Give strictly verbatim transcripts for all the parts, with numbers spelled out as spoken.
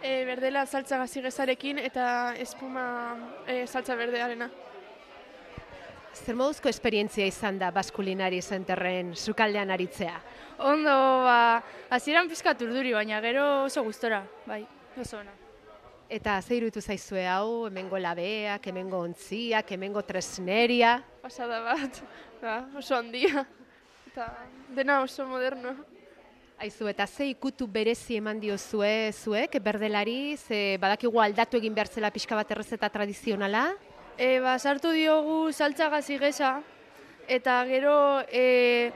E, berdela saltza gazigezarekin eta espuma e, saltza berdearena. Zer moduzko esperientzia izan da Basque Culinary Centerren sukaldean aritzea? Ondo, ba, hasieran pizkat urduri, baina gero oso gustora, bai, oso ona. Eta ze iruditu zaizue hau, hemengo labeak, hemengo ontziak, hemengo tresneria? Pasada bat, da, oso handia. Eta dena oso moderno. Aizu, eta ze ikutu berezi eman diozue zuek, berdelari, ze badakigu aldatu egin behar zela pixka bat errezeta tradizionala? E, ba, sartu diogu saltza gazigeza, eta gero e,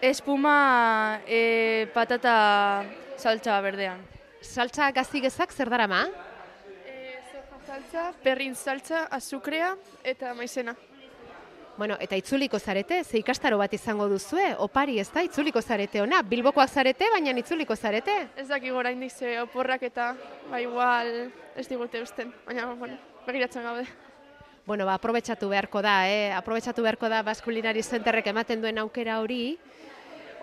espuma e, patata saltza berdean. Saltza gazigezak zer darama? E, soja saltza, perrin saltza, azukrea eta maizena. Bueno, eta itzuliko zarete, ze ikastaro bat izango duzue, opari ez da, itzuliko zarete ona, Bilbokoak zarete, baina itzuliko zarete. Ez dakik oraindik ze oporrak eta ba, igual ez digute usten, baina bueno, begiratzen gaude. Bueno, ba, aprobetxatu beharko da, eh? aprobetxatu beharko da Basque Culinary Centerrek ematen duen aukera hori,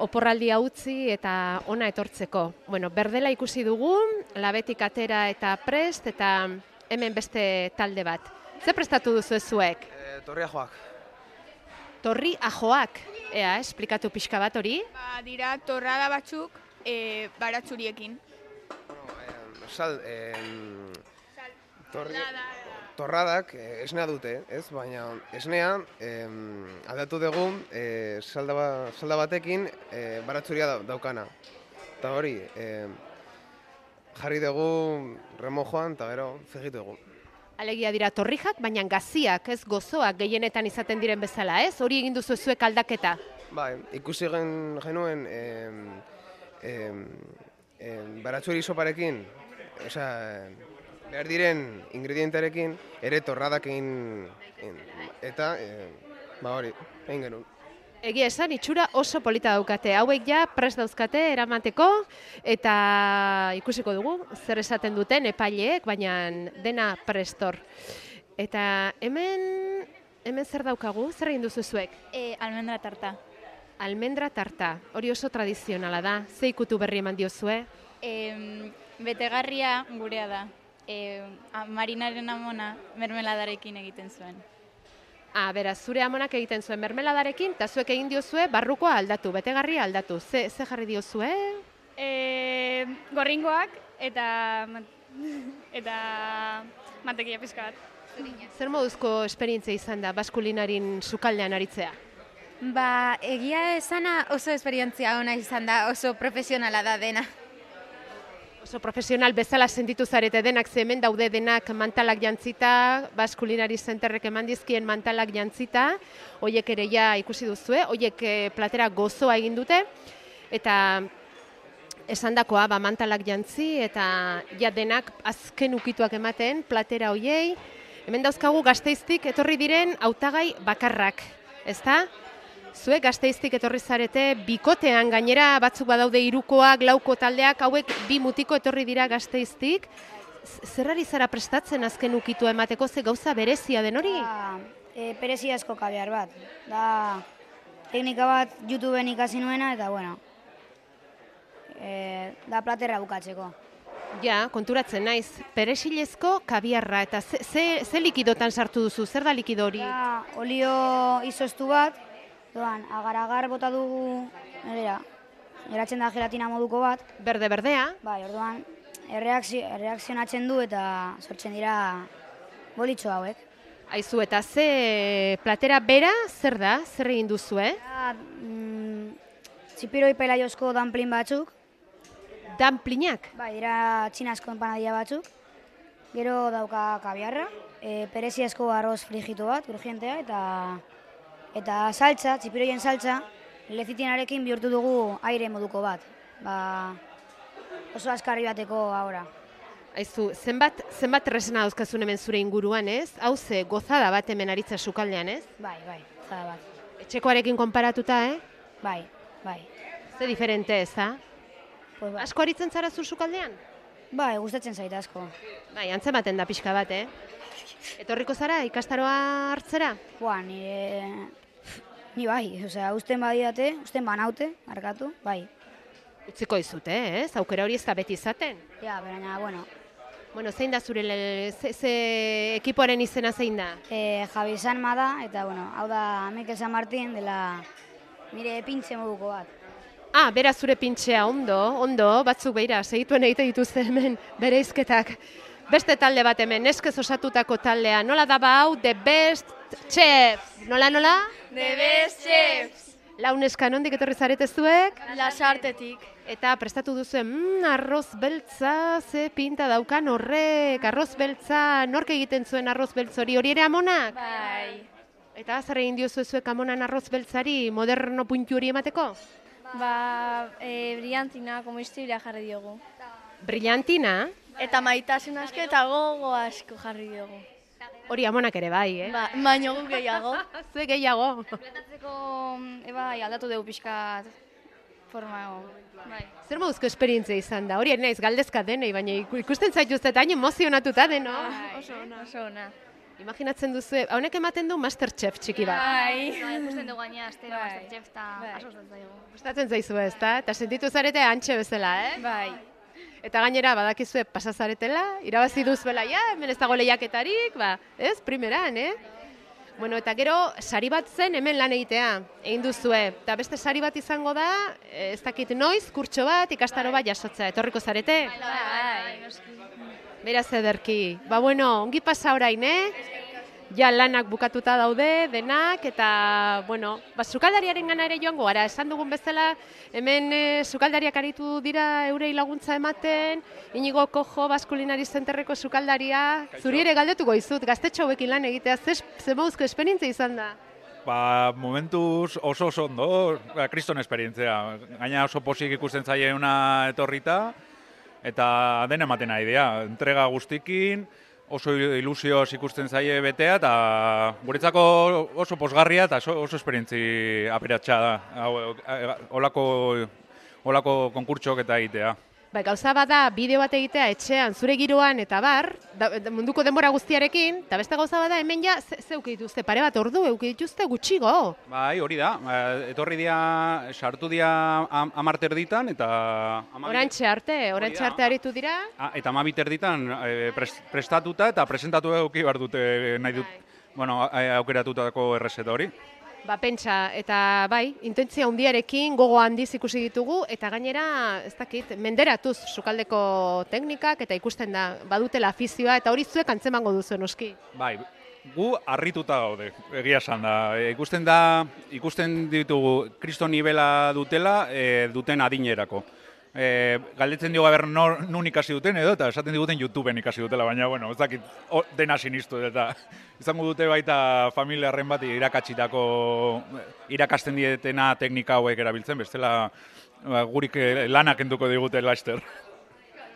oporraldia utzi eta ona etortzeko. Bueno, berdela ikusi dugu, labetik atera eta prest, eta hemen beste talde bat. Ze prestatu duzu zuek? E, torria joak. Torri ajoak, ea, esplikatu pixka bat hori? Ba, dira torrada batzuk e, baratzuriekin. Bueno, eh, sal, eh, torri, torradak eh, esnea dute, ez? Baina esnea eh, aldatu dugu eh, salda, ba, salda batekin eh, baratzuria da, daukana. Eta hori, eh, jarri dugu remojoan eta gero frijitu dugu. Alegia dira torrijak, baina gaziak, ez gozoak gehienetan izaten diren bezala, ez? Hori egin duzu zuek aldaketa? Bai, ikusi gen, genuen em, em, em, baratzuri soparekin, osea, behar diren ingredientearekin, ere torradak egin, egin eta, em, ba hori, egin genuen. Egia esan, itxura oso polita daukate. Hauek ja prest dauzkate eramateko eta ikusiko dugu zer esaten duten epaileek, baina dena prestor. Eta hemen, hemen zer daukagu? Zer egin duzu zuek? E, almendra tarta. Almendra tarta, hori oso tradizionala da. Ze ikutu berri eman diozue? E, betegarria gurea da. E, marinaren amona mermeladarekin egiten zuen. Ah, beraz, zure amonak egiten zuen mermeladarekin, eta zuek egin diozue barrukoa aldatu, betegarria aldatu. Ze, ze jarri diozue? E, gorringoak eta eta mantekia pizka bat. Zer moduzko esperientzia izan da Basque Culinaryn sukaldean aritzea? Ba, egia esana oso esperientzia ona izan da, oso profesionala da dena. Oso profesional bezala sentitu zarete denak, ze hemen daude denak mantalak jantzita, Basque Culinary Centerrek eman dizkien mantalak jantzita, hoiek ere ja ikusi duzue, hoiek platera gozoa egin dute, eta esandakoa ba, mantalak jantzi, eta ja denak azken ukituak ematen platera hoiei. Hemen dauzkagu Gasteiztik etorri diren hautagai bakarrak, ezta? Zuek Gasteiztik etorri zarete, bikotean gainera batzuk badaude hirukoak, lauko taldeak, hauek bi mutiko etorri dira Gasteiztik. Zerrari zara prestatzen azken ukitua emateko, ze gauza berezia den hori? Da, e, pereziazko kabiar bat. Da, teknika bat YouTubeen ikasi nuena eta, bueno, e, da platerra bukatzeko. Ja, konturatzen naiz, peresilezko kabiarra, eta ze, ze, ze likidotan sartu duzu, zer da likido hori? Da, olio izoztu bat, doan, agar-agar bota dugu, nera, geratzen da gelatina moduko bat. Berde-berdea? Bai, orduan, erreakzio, erreakzionatzen du eta sortzen dira bolitxo hauek. Aizu, eta ze platera bera, zer da, zer egin duzu, eh? Da, mm, txipiroi pelaiozko danplin batzuk. Danplinak? Bai, dira txinazko empanadia batzuk. Gero dauka kabiarra, e, pereziazko arroz frijitu bat, urgentea, eta eta saltza, txipiroien saltza, lezitinarekin bihurtu dugu aire moduko bat. Ba, oso askarri bateko ahora. Aizu, zenbat, zenbat tresna dauzkazun hemen zure inguruan, ez? Hau ze, gozada bat hemen aritza sukaldean, ez? Bai, bai, gozada bat. Etxekoarekin konparatuta, eh? Bai, bai. Ze diferente, ez da? Pues bai. Asko aritzen zara zu sukaldean? Bai, gustatzen zait asko. Bai, antzematen da pixka bat, eh? Etorriko zara ikastaroa hartzera? Boa, nire... Ni bai, osea, usten badiate, usten banaute, markatu, bai. Utziko izute, ez? Aukera hori ez da beti izaten. Ja, baina, bueno, Bueno, zein da zure, le- ze, ze ekipoaren izena zein da? E, Javi Sanma da, eta, bueno, hau da Mikel San Martin, dela nire pintxe moduko bat. Ah, bera zure pintxea, ondo, ondo, batzuk beira, segituen egite dituzte hemen bere izketak. Beste talde bat hemen, neskez osatutako taldea, nola da ba hau, The Best Chef, nola, nola? The Best Chefs! Launeska, nondik etorri zarete zuek? Lasartetik. Eta prestatu duzuen, mm, arroz beltza, ze pinta daukan horrek, arroz beltza, nork egiten zuen arroz beltz hori, hori ere amonak? Bai. Eta zer egin diozu zuek amonan arroz beltzari moderno puntu hori emateko? Ba, e, brillantina, komistibila jarri diogu. Brillantina, Eta maitasun asko eta gogo asko jarri diogu. hori amonak ere bai, eh? Ba, baino gu gehiago. Zuek gehiago. Platatzeko, bai, aldatu dugu pixkat forma. Bai. Zer moduzko esperientzia izan da? Hori naiz galdezka denei, baina iku- ikusten zaituzte eta hain emozionatuta deno. Oso ona. Oso ona. Imaginatzen duzu, honek ematen du Masterchef txiki bat. Bai. Bai, ikusten dugu gaina, astero, Bai. Masterchef, eta Bai. asko gustatzen zaigu. Gustatzen zaizu ez, da? Eta sentitu zarete antxe bezala, eh? Bai. Eta gainera badakizue pasazaretela, irabazi duzuela, ja, hemen ez dago lehiaketarik, ba, ez, primeran, eh? Bueno, eta gero, sari bat zen hemen lan egitea, egin duzue. Eta beste sari bat izango da, eh, ez dakit noiz, kurtso bat, ikastaro bat jasotzea, etorriko zarete? Bai. Beraz ederki. Ba, bueno, ongi pasa orain, eh? Ja lanak bukatuta daude, denak, eta, bueno, ba, sukaldariaren gana ere joango gara. Esan dugun bezala, hemen e, sukaldariak aritu dira eurei laguntza ematen, Inigo Kojo, Baskulinari Zenterreko sukaldaria, zuri ere galdetuko izut, gaztetxo hauekin lan egitea, ze, ze moduzko esperientzia izan da? Ba, momentuz oso oso ondo, ba, kriston esperientzia. Gaina oso posik ikusten zaiena etorrita, eta den ematen ari dira. Entrega guztikin, oso ilusioz ikusten zaie betea, eta guretzako oso posgarria eta oso, oso esperientzi aperatxa da. Hau, olako, olako konkurtsok eta egitea. Ba, gauza bada bideo bat egitea etxean, zure giroan eta bar, da, munduko denbora guztiarekin, eta beste gauza bada hemen ja, ze, ze euki dituzte, pare bat ordu euki dituzte gutxigo. Bai, hori da. Etorri dia, sartu dia am, amarter ditan, eta... Orantxe arte, orantxe arte aritu dira. Ah, eta amabiter ditan e, pres, prestatuta eta presentatu eduki behar dute nahi dut, bueno, aukeratutako errezeta hori. Ba, pentsa, eta bai, intentzia handiarekin gogo handiz ikusi ditugu, eta gainera, ez dakit, menderatuz sukaldeko teknikak, eta ikusten da, badutela afizioa, eta hori zuek antzemango duzu noski. Bai, gu harrituta gaude, egia esan da. E, ikusten da, ikusten ditugu kriston nibela dutela, e, duten adinerako. E, galdetzen diogu aber nor, nun ikasi duten edo, eta esaten diguten YouTubeen ikasi dutela, baina, bueno, ez dakit, o, dena sinistu, eta izango dute baita familiarren bat irakatsitako, irakasten dietena teknika hauek erabiltzen, bestela ba, gurik lanak enduko digute laster.